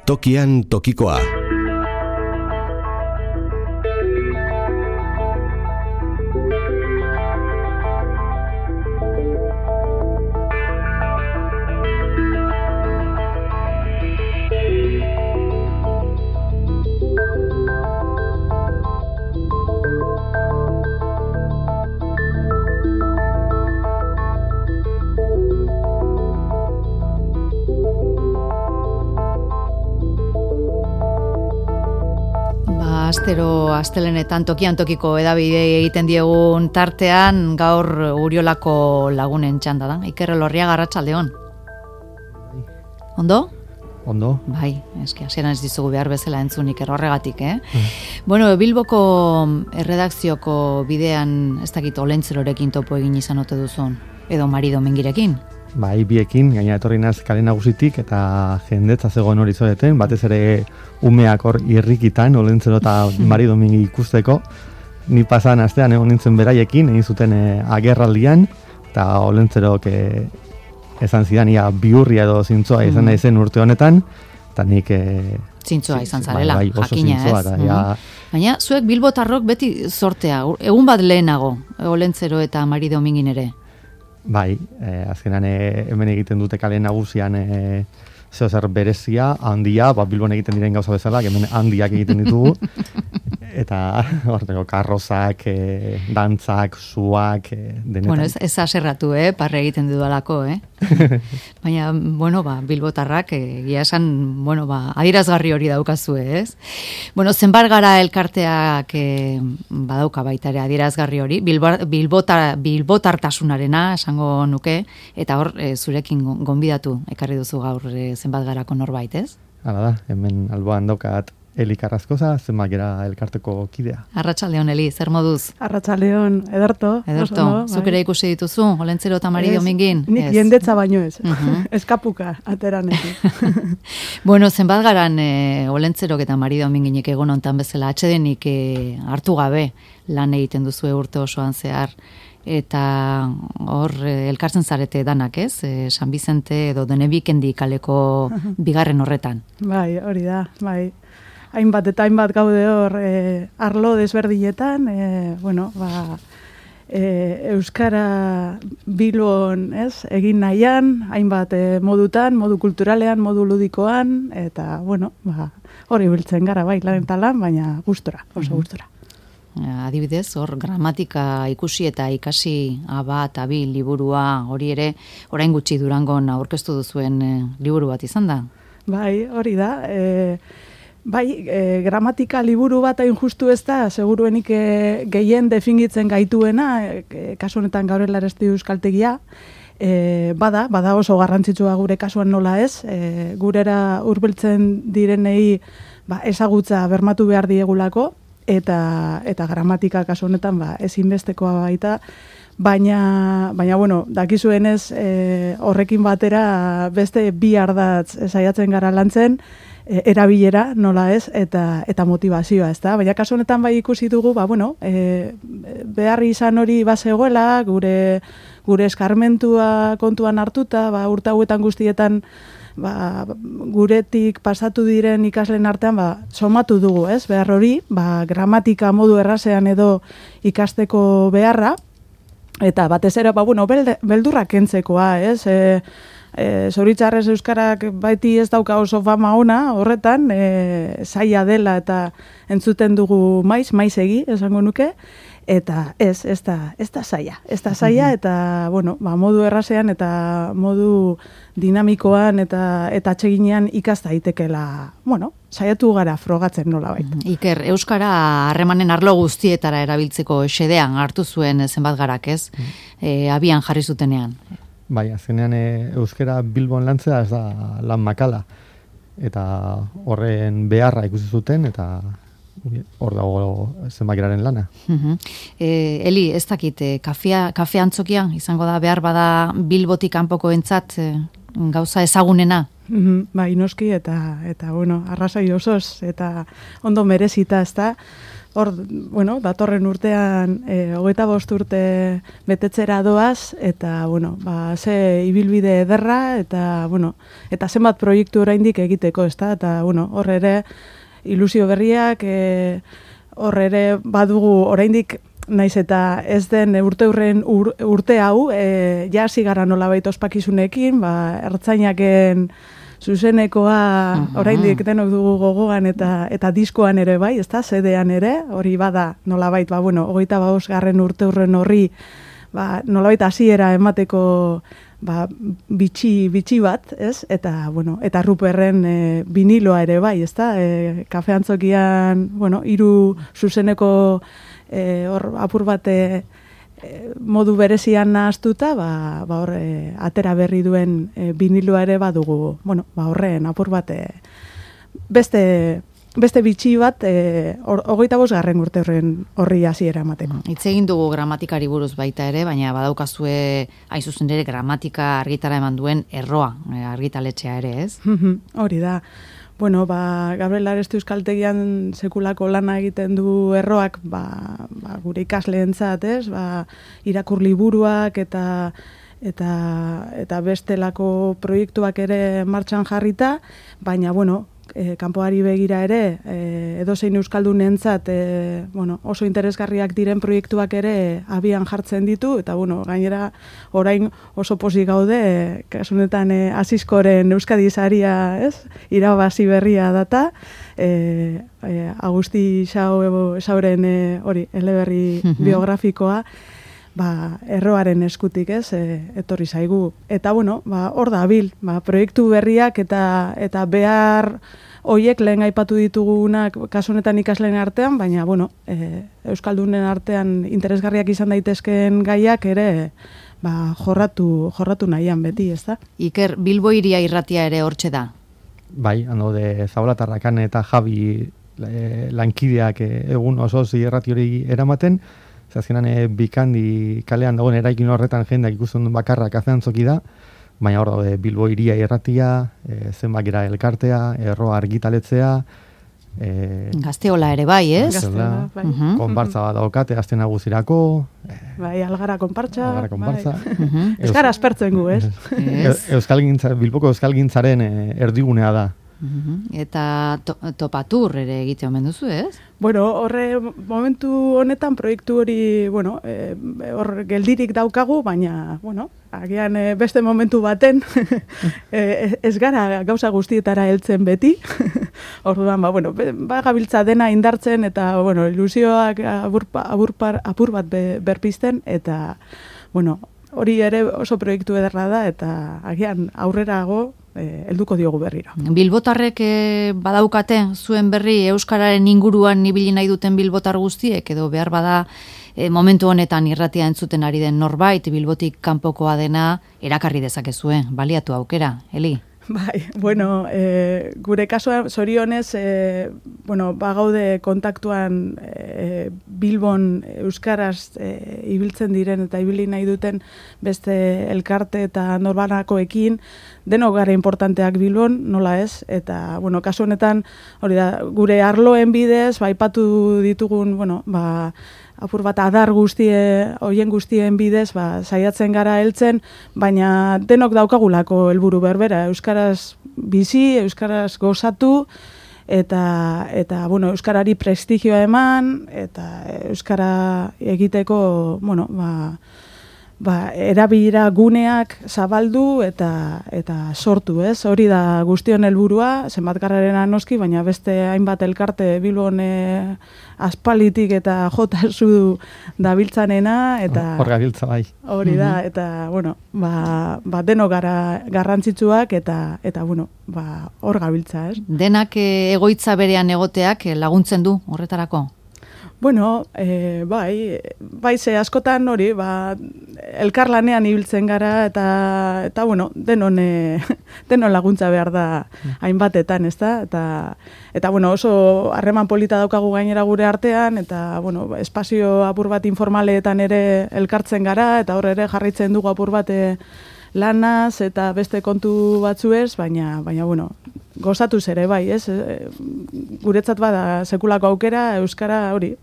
Tokian tokikoa. Astelenetan tokian tokiko edabide egiten diegun tartean gaur Uriolako lagunen txanda da. Iker Elorriaga, arratsaldeon. Ondo? Ondo. Bai, eski hasieran ez dizugu behar bezala entzun Iker horregatik, Bueno, Bilboko erredakzioko bidean ez dakit Olentzerorekin topo egin izan ote duzun, edo Mari Domingirekin. Bai, biekin, gaina etorri naz kale nagusitik eta jendetza zegoen hori zoeten, batez ere umeak hor irrikitan, Olentzero eta Mari Domingi ikusteko. Ni pasan astean egon nintzen beraiekin, egin zuten agerraldian, eta Olentzerok esan zidan, ia biurria edo zintzoa izan nahi zen urte honetan, eta nik... Zintzoa izan zarela, bai, oso jakina zintzoa, ez. Baina, zuek bilbotarrok beti sortea, egun bat lehenago, Olentzero eta Mari Domingin ere. Bai, azkenan hemen egiten dute kale nagusian zer berezia, handia, Bilbon egiten diren gauza bezala, hemen handiak egiten ditugu, eta horteko karrozak, dantzak, zuak, denetan. Bueno, ez aserratu, parre egiten dudalako, Baina, bueno, bilbotarrak, egia esan, bueno, adierazgarri hori daukazu, ez? Bueno, zenbat gara elkarteak badauka baita ere adierazgarri hori, bilbotartasunarena, esango nuke, eta hor, zurekin gonbidatu, ekarri duzu gaur zenbat garako norbait, ez? Hala da, hemen alboan daukat Eli Carrascosa, zenbat gera elkarteko kidea. Arratsaldeon, Eli, zer moduz? Arratsaldeon, ederto. Zuk ere ikusi dituzu, Olentzero eta Mari Domingin? Nik jendetza baino ez, eskapuka, ateranetik. Bueno, zenbat garan Olentzerok eta Mari Dominginek egon hontan bezala, atsedenik hartu gabe lan egiten duzu urte osoan zehar, eta hor elkartzen zarete danak, ez? San Bizente edo Denebikendi kaleko bigarren horretan. Bai, hori da, bai. Hainbat eta hainbat gaude hor arlo desberdinetan, Euskara Bilbon, ez? Egin nahian, hainbat modutan, modu kulturalean, modu ludikoan, eta, hori biltzen gara, bai, lan eta lan, baina gustora, oso gustora. Adibidez, hor gramatika ikusi eta ikasi bat, abi, liburua, hori ere, orain gutxi Durangon aurkeztu duzuen liburu bat izan da? Bai, hori da. Gramatika liburu bat hain justu ez da, seguruenik gehien definitzen gaituena, kasu honetan gaur Elaresti euskaltegia, bada oso garrantzitsua gure kasuan nola ez, gurera hurbiltzen direnei ezagutza bermatu behar diegulako, eta gramatika kasu honetan ezinbestekoa baita, baina dakizuenez horrekin batera beste bi ardatz saiatzen gara lantzen, erabilera nola ez, eta motivazioa, ez da? Baina kasu honetan ikusi dugu, behar izan hori bazegoela, gure eskarmentua kontuan hartuta, urte hauetan guztietan guretik pasatu diren ikasleen artean somatu dugu, ez? Behar hori, gramatika modu errazean edo ikasteko beharra, eta batez ere, beldurrak kentzekoa, ez? Zoritxarrez euskarak baiti ez dauka oso fama ona, horretan, zaila dela eta entzuten dugu maiz egi, esango nuke, eta ez da zaila. Ez da zaila eta, modu errazean eta modu dinamikoan eta atseginean ikasta daitekela, saiatu gara frogatzen nola baita. Iker, euskara harremanen arlo guztietara erabiltzeko xedean hartu zuen zenbat garak, ez? Abian jarri zutenean. Bai, azkenean euskara Bilbon lantzea ez da lan makala. Eta horren beharra ikusi zuten, eta hor dago zenbakiraren lana. Eli, ez dakit, kafe antzokia izango da behar bada Bilbotik kanpoko entzat gauza ezagunena? Bai, noski, eta arrazoi osoz, eta ondo merezita, ez da. hor, bueno, datorren urtean 25 urte betetzera doaz, eta, bueno, ze ibilbide ederra, eta, bueno, eta zenbat proiektu oraindik egiteko, ezta? Eta, bueno, hor ere, ilusio berriak, hor ere badugu oraindik naiz eta ez den urte hau, hasi gara nolabait ospakizunekin, ertzainaken zuzenekoa oraindik denok dugu gogoan eta diskoan ere bai, ezta, zedean ere, hori bada nolabait, 25. urteurren horri, nolabait hasiera emateko bitxi bat, ez? Eta, bueno, eta Ruperren viniloa ere bai, ezta? Kafeantzokian, bueno, 3 zuzeneko hor apur bate modu berezian nahaztuta, hor atera berri duen viniloa ere badugu, bueno, horren apur bate beste bitxi bat 25. urte horri hasiera emateko. Hitz egin dugu gramatikari buruz baita ere, baina badaukazue hain zuzen ere gramatika argitara eman duen erroa, argitaletxea ere, ez? Hori da. Bueno, Gabriel Aresti Euskaltegian sekulako lana egiten du erroak, gure ikasleentzat, ez? Irakur liburuak eta bestelako proiektuak ere martxan jarrita, baina, bueno, kanpoari begira ere, edozein euskaldunentzat oso interesgarriak diren proiektuak ere abian jartzen ditu, eta gainera orain oso pozik gaude, kasunetan Asiskoren Euskadi saria, ez? Irabazi berria data, Agusti Sauren hori eleberri biografikoa, erroaren eskutik, ez, etorri zaigu. Eta, hor da bil, proiektu berriak eta behar hoiek lehen aipatu ditugunak kasu honetan ikasleen artean, baina, Euskaldunen artean interesgarriak izan daitezkeen gaiak ere jorratu nahian beti, ez da? Iker, Bilbo Hiria irratia ere hortxe da? Bai, de Zabalatarrakan eta Javi lankideak egun oso irrati hori eramaten, azkenan Bikandi kalean dagoen eraikin horretan jendeak ikusten duen bakarra Kafeantzoki da, baina hor daude Bilbo Hiria irratia, zenbakera elkartea, erroa argitaletzea, Gazteola ere bai, ez? Gazteola, bai. Konpartza bat daukate aste nagusirako. Bai, Algara konpartza. Algara konpartza. Euskara aspertzen gu, ez? Bilboko euskalgintzaren erdigunea da. Eta topatur ere egite omen duzu, ez? Bueno, horre momentu honetan proiektu hori, hor geldirik daukagu, baina, agian beste momentu baten ez gara gauza guztietara heltzen beti. Orduan, gabiltza dena indartzen eta, ilusioak apur bat berpizten eta, hori ere oso proiektu ederra da eta agian aurrerago helduko diogu berriro. Bilbotarrek badaukate zuen berri euskararen inguruan ibili nahi duten bilbotar guztiek edo behar bada momentu honetan irratia entzuten ari den norbait Bilbotik kanpokoa dena erakarri dezakezue, baliatu aukera, Eli? Bai, gure kasuan zorionez, bagaude kontaktuan Bilbon euskaraz ibiltzen diren eta ibili nahi duten beste elkarte eta norbanakoekin, denok gara importanteak Bilbon, nola ez, eta, kasu honetan, hori da, gure arloen bidez, aipatu ditugun, apur bat adar hoien guztien bidez, saiatzen gara heltzen, baina denok daukagulako helburu berbera, euskaraz bizi, euskaraz gozatu, eta euskarari prestigioa eman, eta euskara egiteko, erabilera guneak zabaldu eta sortu, ez? Hori da guztion helburua, zenbatgarrarena noski, baina beste hainbat elkarte Bilbon aspalitik eta jotazu dabiltzanena eta hor gabiltza bai. Hori da eta denok gara garrantzitsuak eta hor gabiltza, ez? Denak egoitza berean egoteak laguntzen du horretarako. Bai, ze askotan hori, elkarlanean ibiltzen gara eta denon laguntza behar da hainbatetan, ez da? Eta oso harreman polita daukagu gainera gure artean, eta, espazio apur bat informaleetan ere elkartzen gara, eta hor ere jarraitzen dugu apur bat lanaz eta beste kontu batzuez, baina bueno, gozatuz ere bai, ez? Guretzat bada sekulako aukera euskara hori,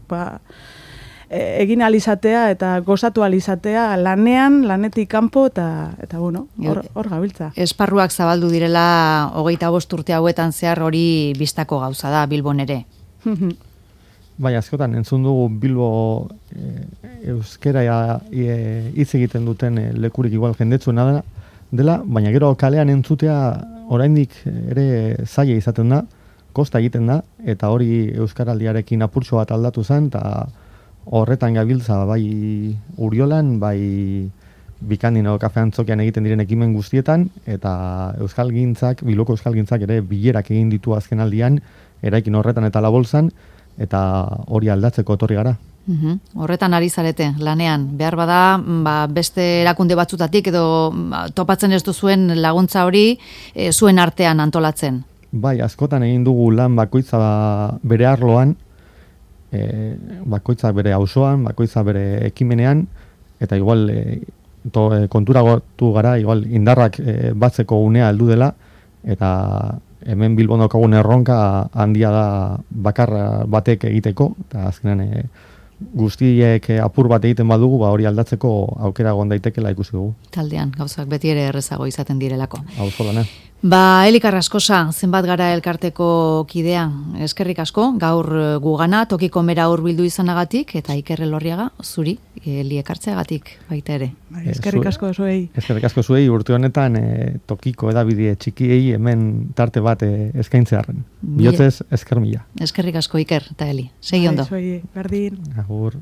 egin alizatea eta gozatu alizatea lanetik kanpo eta bueno, hor gabiltza. Esparruak zabaldu direla 25 urte hauetan zehar hori bistako gauza da Bilbon ere. Bai, askotan entzun dugu Bilbo euskera hitz egiten duten lekurik igual jendetsuena dela, baina gero kalean entzutea oraindik ere zaila izaten da, kosta egiten da, eta hori euskaraldiarekin apurtxo bat aldatu zen, eta horretan gabiltza bai Uriolan, bai Bikandino kafeantzokian egiten diren ekimen guztietan, eta Bilboko euskalgintzak ere bilerak egin ditu azken aldian, eraikin horretan eta labolzan, eta hori aldatzeko etorri gara. Horretan ari zarete, lanean. Behar bada, beste erakunde batzutatik edo topatzen ez duzuen laguntza hori zuen artean antolatzen. Bai, askotan egin dugu lan bakoitza bere arloan, bakoitza bere auzoan, bakoitza bere ekimenean, eta igual konturatu gara, igual indarrak batzeko unea heldu dela, eta hemen Bilbon daukagun erronka handia da bakar batek egiteko, eta azkenan guztiek apur bat egiten badugu, hori aldatzeko aukera egon daitekela ikusi dugu. Taldean, gauzak beti ere errezago izaten direlako. Auzolana. Eli Carrascosa, zenbat gara elkarteko kidea, eskerrik asko, gaur gugana, tokiko mera hurbildu izanagatik, eta Iker Elorriaga, zuri, Eli ekartzeagatik baita ere. Eskerrik asko zuei. Eskerrik asko zuei, urte honetan tokiko edabide txikiei hemen tarte bat eskaintzearen. Bihotzez, esker mila. Eskerrik asko Iker eta Eli, segi ondo. Zuei, berdin. Agur.